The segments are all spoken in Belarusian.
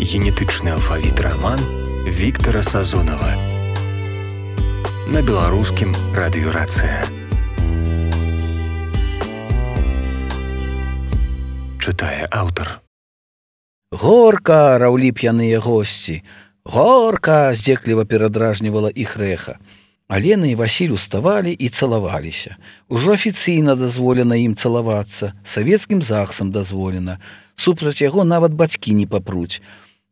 генетычны алфавіт раман Віктара Сазонава на беларускім радыёрацыя. Чытае аўтар. Горка, раўлі п'яныя госці. Горка, здзекліва перадражнівала іх рэха. Алена і Васіль уставалі і цалаваліся. Ужо афіцыйна дазволена ім цалавацца, савецкім захсам дазволена. Супраць яго нават бацькі не папруць.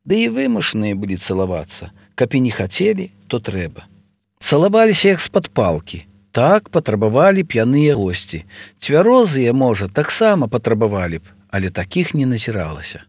Ды і вымушаныя былі цалавацца. Каб і не хацелі, то трэба. Цалаваліся як з-пад палкі. Так патрабавалі п'яныя госці. Цвярозыя, можа, таксама патрабавалі б, але такіх не назіралася.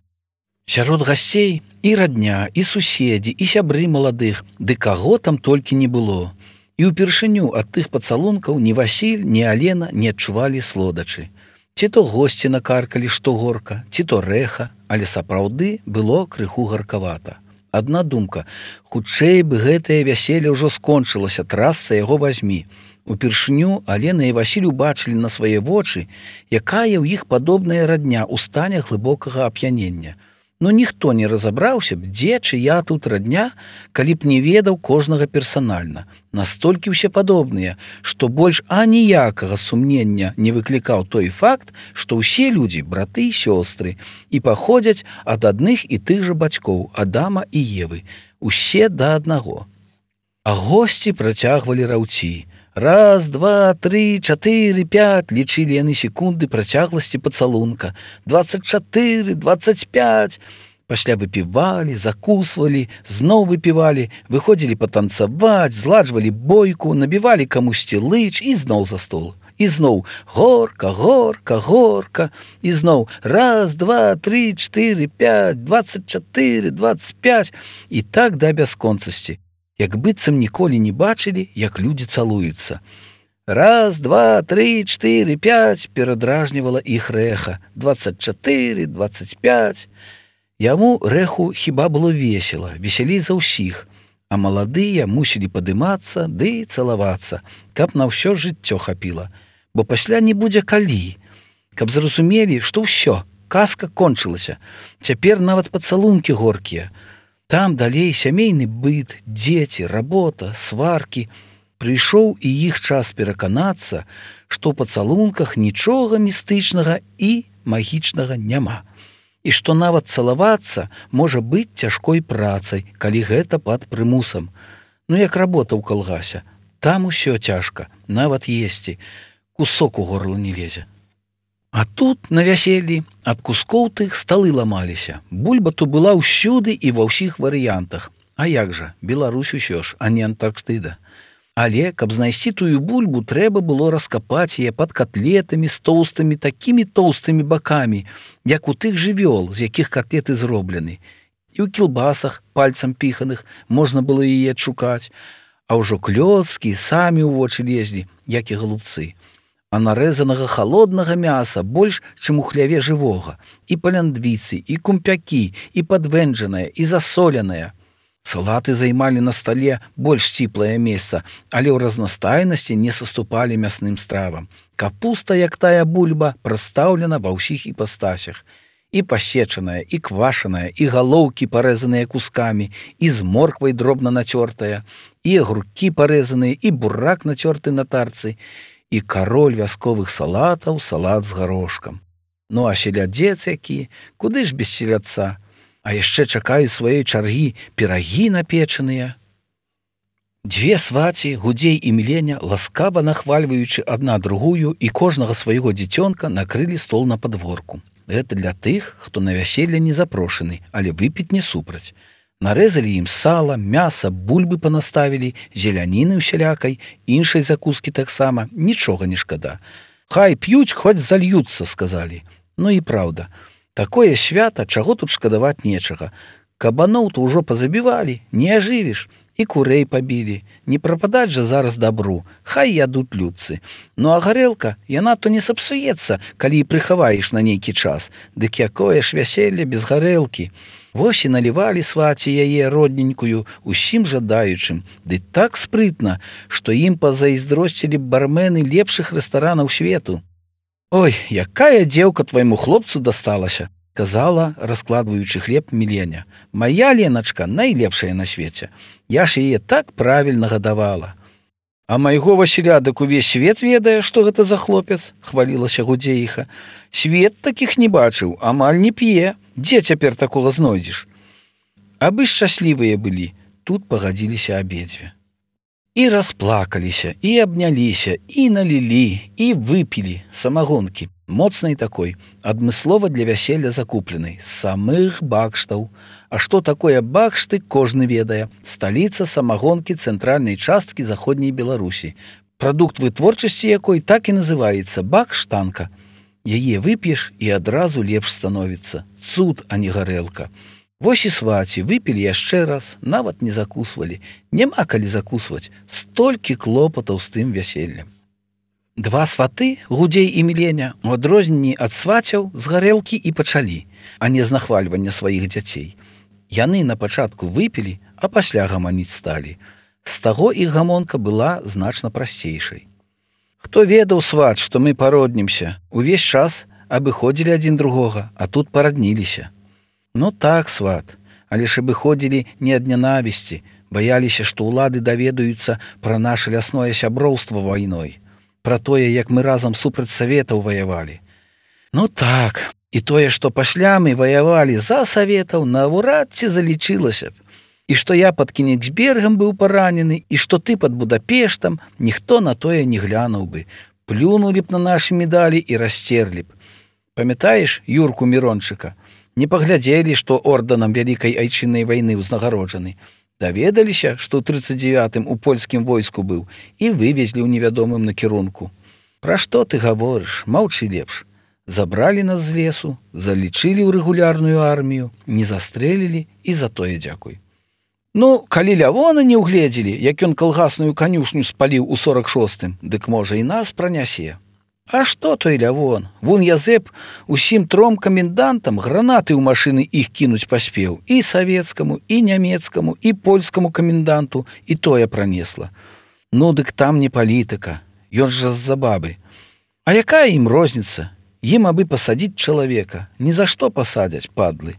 Сярод гасцей і радня, і суседзі, і сябры маладых, ды каго там толькі не было. І ўпершыню ад тых пацалункаў ні Васіль, ні Алена не адчувалі слодачы. Ці то госці накаркалі, што горка, ці то рэха, але сапраўды было крыху гаркавата. Адна думка, хутчэй бы гэтае вяселле ўжо скончылася, трасца яго вазьмі. Упершыню Алена і Васіль убачылі на свае вочы, якая ў іх падобная радня ў стане глыбокага ап'янення. Но ніхто не разабраўся б, дзе чыя тут радня, калі б не ведаў кожнага персанальна. Настолькі ўсе падобныя, што больш аніякага сумнення не выклікаў той факт, што ўсе людзі браты і сёстры і паходзяць ад адных і тых жа бацькоў Адама і Евы, усе да аднаго. А госці працягвалі раўці. Раз, два, тры, чатыры, пять, лічылі яны секунды працягласці пацалунка. 24, 25. Пасля выпівалі, закусвалі, зноў выпівалі, выходзілі патанцаваць, зладжвалі бойку, набівалі камусьці лыч і зноў за стол. І зноў горка, горка, горка. І зноў раз, два, тры, чатыры, пять, 24, 25. І так да бясконцасці. Як быццам ніколі не бачылі, як людзі цалуюцца. Раз, два, тры, чатыры, пять, перадражнівала іх рэха. 24, 25. Яму рэху хіба было весела, весялей за ўсіх, а маладыя мусілі падымацца ды цалавацца, каб на ўсё жыццё хапіла, бо пасля не будзе калі, каб зразумелі, што ўсё, казка кончылася, цяпер нават пацалункі горкія. Там далей сямейны быт, дзеці, работа, сваркі. Прыйшоў і іх час пераканацца, што ў пацалунках нічога містычнага і магічнага няма. І што нават цалавацца можа быць цяжкой працай, калі гэта пад прымусам. Ну як работа ў калгасе. Там усё цяжка, нават есці. Кусок у горла не лезе. А тут, на вяселлі, ад кускоў тых сталы ламаліся. Бульба то была ўсюды і ва ўсіх варыянтах. А як жа, Беларусь усё ж, а не Антарктыда. Але, каб знайсці тую бульбу, трэба было раскапаць яе пад котлетамі з тоўстымі, такімі тоўстымі бакамі, як у тых жывёл, з якіх котлеты зроблены. І ў кілбасах, пальцам піханых, можна было яе адшукаць. А ўжо клёцкі самі ў вочы лезлі, як і галубцы. А нарэзанага халоднага мяса больш, чым у хляве жывога. І паляндвіцы, і кумпякі, і падвэнджанае, і засоленае. Салаты займалі на стале больш сціплае месца, але ў разнастайнасці не саступалі мясным стравам. Капуста, як тая бульба, прадстаўлена ва ўсіх іпастасях. І пасечаная, і квашаная, і галоўкі парэзаныя кускамі, і з морквай дробна нацёртая, і агуркі парэзаныя, і бурак нацёрты на тарцы, і кароль вясковых салатаў, салат з гарошкам. Ну а селядзец які, куды ж без селядца? А яшчэ чакаюць сваёй чаргі пірагі напечаныя. Дзве сваці, Гудзей і Міленя, ласкава нахвальваючы адна другую і кожнага свайго дзіцёнка накрылі стол на падворку. Гэта для тых, хто на вяселле не запрошаны, але выпіць не супраць. Нарэзалі ім сала, мяса, бульбы панаставілі, зеляніны ўсялякай, іншай закускі таксама, нічога не шкада. Хай п'юць, хоць зальюцца, сказалі. Ну і праўда, такое свята, чаго тут шкадаваць нечага. Кабаноў-то ўжо пазабівалі, не ажывіш, і курэй пабілі. Не прападаць жа зараз дабру, хай ядуць людцы. Ну а гарэлка, яна то не сапсуецца, калі і прыхаваеш на нейкі час. Дык якое ж вяселле без гарэлкі. Вось і налівалі сваці яе родненькую усім жадаючым, ды так спрытна, што ім пазайздросцілі б бармены лепшых рэстаранаў свету. Ой, якая дзеўка твайму хлопцу дасталася. казала, раскладваючы хлеб Міленя. Мая Леначка найлепшая на свеце. Я ж яе так правільна гадавала. А майго Васіля дык увесь свет ведае, што гэта за хлопец, хвалілася Гудзеіха. Свет такіх не бачыў, амаль не п'е. Дзе цяпер такога знойдзеш? Абы шчаслівыя былі, тут пагадзіліся абедзве. І расплакаліся, і абняліся, і налілі, і выпілі самагонкі, моцнай такой, адмыслова для вяселля закупленай, з самых бакштаў. А што такое бакшты, кожны ведае. Сталіца самагонкі цэнтральнай часткі заходняй Беларусі. Прадукт вытворчасці якой так і называецца бакштанка. Яе вып'еш і адразу лепш становіцца. Цуд, а не гарэлка. Вось і сваці выпілі яшчэ раз, нават не закусвалі. Няма калі закусваць, столькі клопатаў з тым вяселлем. Два сваты, Гудзей і Міленя, у адрозненні ад свацяў з гарэлкі і пачалі, а не з нахвальвання сваіх дзяцей. Яны на пачатку выпілі, а пасля гаманіць сталі. З таго іх гамонка была значна прасцейшай. Хто ведаў, сват, што мы пароднімся, увесь час абыходзілі адзін другога, а тут парадніліся. Ну так, сват, але ж абыходзілі не ад нянавісці, баяліся, што ўлады даведаюцца пра наша лясное сяброўства вайной, пра тое, як мы разам супраць саветаў ваявалі. Ну так, і тое, што пасля мы ваявалі за саветаў, наўрад ці залічылася б. І што я пад Кенігсбергам быў паранены, і што ты пад Будапештам, ніхто на тое не глянуў бы. Плюнулі б на нашы медалі і расцерлі б. Памятаеш Юрку Мірончыка? Не паглядзелі, што ордэнам Вялікай айчыннай вайны ўзнагароджаны. Даведаліся, што ў 39-м у польскім войску быў і вывезлі ў невядомым накірунку. Пра што ты гаворыш? Маўчы лепш. Забралі нас з лесу, залічылі ў рэгулярную армію, не застрэлілі і за тое дзякуй. Ну, калі Лявона не ўгледзелі, як ён калгасную канюшню спаліў у 46-м, дык можа і нас пранясе. А што той Лявон? Вон Язэп усім 3 камендантам гранаты ў машыны іх кінуць паспеў. І савецкаму, і нямецкаму, і польскаму каменданту, і тое пранесла. Ну, дык там не палітыка, ён жа з-за бабы. А якая ім розніца? Ім абы пасадзіць чалавека. Ні за што пасадзяць, падлы.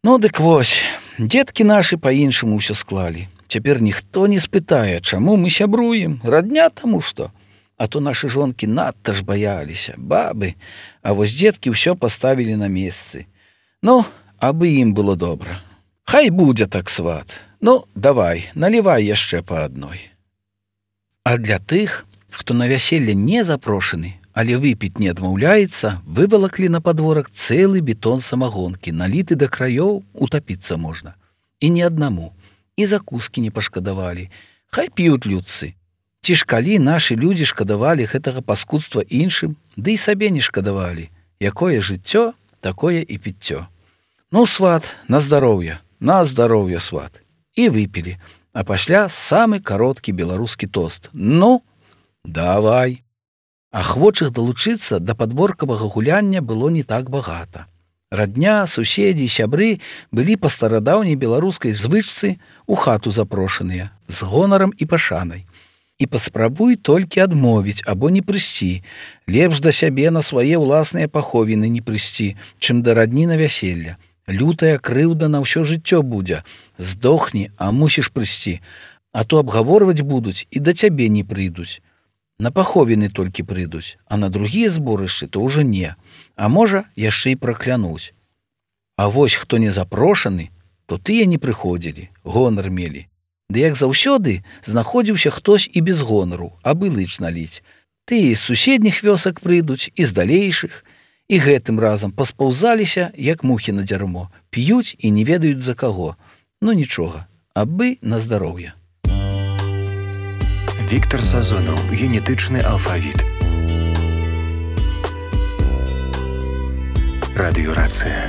Ну, дык вось, дзеткі нашы па-іншаму ўсё склалі. Цяпер ніхто не спытае, чаму мы сябруем, радня таму што. А то нашы жонкі надта ж баяліся, бабы, а вось дзеткі ўсё паставілі на месцы. Ну, абы ім было добра. Хай будзе так, сват. Ну, давай, налівай яшчэ па адной. А для тых, хто на вяселле не запрошаны, але выпіць не адмаўляецца, вывалаклі на падворак цэлы бетон самагонкі, наліты да краёў, утапіцца можна. І не аднаму. І закускі не пашкадавалі. Хай п'юць людцы. Ці ж калі нашы людзі шкадавалі гэтага паскудства іншым, ды і сабе не шкадавалі. Якое жыццё, такое і піццё. Ну, сват, на здароўе, сват. І выпілі, а пасля самы кароткі беларускі тост. Ну, давай. Ахвочых далучыцца да падворкавага гуляння было не так багата. Радня, суседзі, сябры былі па старадаўняй беларускай звычцы у хату запрошаныя, з гонарам і пашанай. І паспрабуй толькі адмовіць або не прыйсці. Лепш да сябе на свае ўласныя паховіны не прыйсці, чым да радні на вяселля. Лютая крыўда на ўсё жыццё будзе. Здохні, а мусіш прыйсці. А то абгаворваць будуць і да цябе не прыйдуць. На паховіны толькі прыйдуць, а на другія зборышчы то ўжо не. А можа, яшчэ і праклянуць. А вось хто не запрошаны, то тыя не прыходзілі, гонар мелі. Ды як заўсёды знаходзіўся хтось і без гонару, абы лыч наліць. Тыя з суседніх вёсак прыйдуць, і з далейшых, і гэтым разам паспаўзаліся, як мухі на дзярмо, п'юць і не ведаюць за каго. Ну нічога, абы на здароўе. Віктар Сазонаў, генетычны алфавіт. Радыёрацыя.